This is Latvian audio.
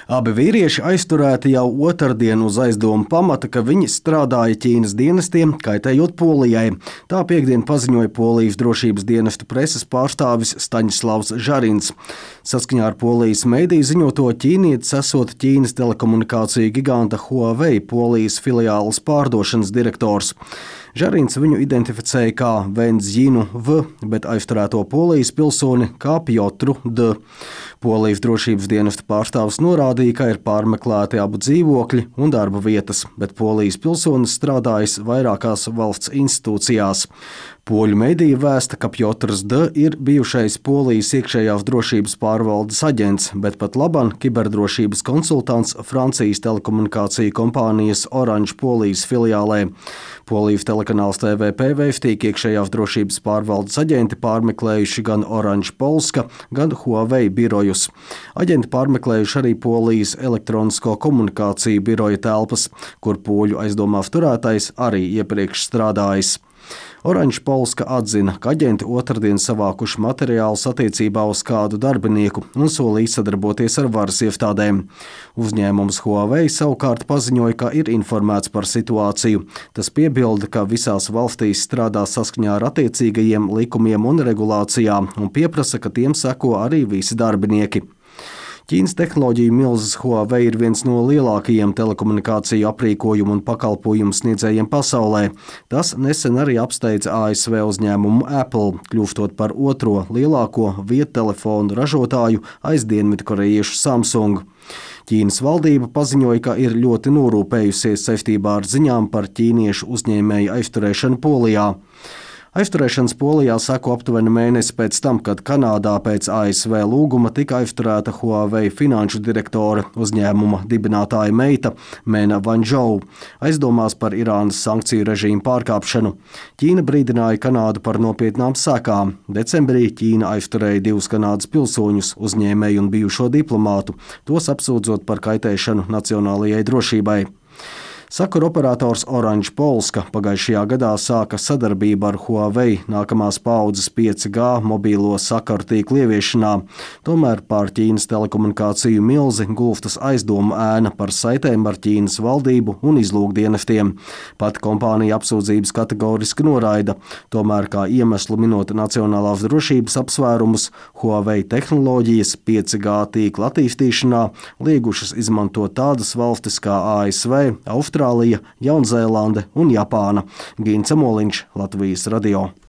Abi vīrieši aizturēti jau otrdien uz aizdomu pamata, ka viņi strādāja Ķīnas dienestiem, kaitējot Polijai. Tā piektdien paziņoja Polijas drošības dienestu preses pārstāvis Staņislavs Žarins. Saskaņā ar Polijas mediju ziņoto ķīnietis esot Ķīnas telekomunikāciju giganta Huawei Polijas filiāles pārdošanas direktors. Žarins viņu identificēja kā Venzjinu V, bet aizturēto Polijas pilsoni kā Pjotru D. Polijas drošības dienesta pārstāvis norādīja, ka ir pārmeklēti abu dzīvokļi un darba vietas, bet Polijas pilsonis strādājis vairākās valsts institūcijās. Poļu medija vēsta, ka Pjotrs D ir bijušais Polijas iekšējās drošības pārvaldes aģents, bet pat laban kiberdrošības konsultants Francijas telekomunikāciju kompānijas Orange Polijas filiālē. Polijas telekanāls TVP vēstīja, ka iekšējās drošības pārvaldes aģenti pārmeklējuši gan Orange Polska, gan Huawei birojus. Aģenti pārmeklējuši arī Polijas elektronisko komunikāciju biroja telpas, kur poļu aizdomās turētais arī iepriekš strādājis. Orange Polska atzina, ka aģenti otrdien savākuši materiālus attiecībā uz kādu darbinieku un solīja sadarboties ar varas iestādēm. Uzņēmums Huawei savukārt paziņoja, ka ir informēts par situāciju. Tas piebilda, ka visās valstīs strādā saskaņā ar attiecīgajiem likumiem un regulācijām un pieprasa, ka tiem seko arī visi darbinieki. Ķīnas tehnoloģiju milzis Huawei ir viens no lielākajiem telekomunikāciju aprīkojumu un pakalpojumu sniedzējiem pasaulē. Tas nesen arī apsteidza ASV uzņēmumu Apple, kļūstot par otro lielāko viedtelefonu ražotāju aiz dienvidkorejiešu Samsung. Ķīnas valdība paziņoja, ka ir ļoti norūpējusies saistībā ar ziņām par ķīniešu uzņēmēju aizturēšanu Polijā. Aizturēšanas Polijā seko aptuveni mēnesi pēc tam, kad Kanādā pēc ASV lūguma tika aizturēta Huawei finanšu direktora uzņēmuma dibinātāja meita Mena Wanzhou, aizdomās par Irānas sankciju režīmu pārkāpšanu. Ķīna brīdināja Kanādu par nopietnām sekām. Decembrī Ķīna aizturēja 2 Kanādas pilsoņus, uzņēmēju un bijušo diplomātu, tos apsūdzot par kaitēšanu nacionālajai drošībai. Sakaru operators Orange Polska pagājušajā gadā sāka sadarbību ar Huawei nākamās paaudzes 5G mobīlo sakaru tīklu ieviešanā. Tomēr pār Ķīnas telekomunikāciju milzi gulstas aizdomu ēna par saitēm ar Ķīnas valdību un izlūkdienestiem. Pat kompānija apsūdzības kategoriski noraida. Tomēr kā iemeslu minot nacionālās drošības apsvērumus, Huawei tehnoloģijas 5G tīkla attīstīšanā liegušas izmantot tādas valstis kā ASV, Austrālija, Jaunzēlande un Japāna. Gins Amoliņš, Latvijas radio.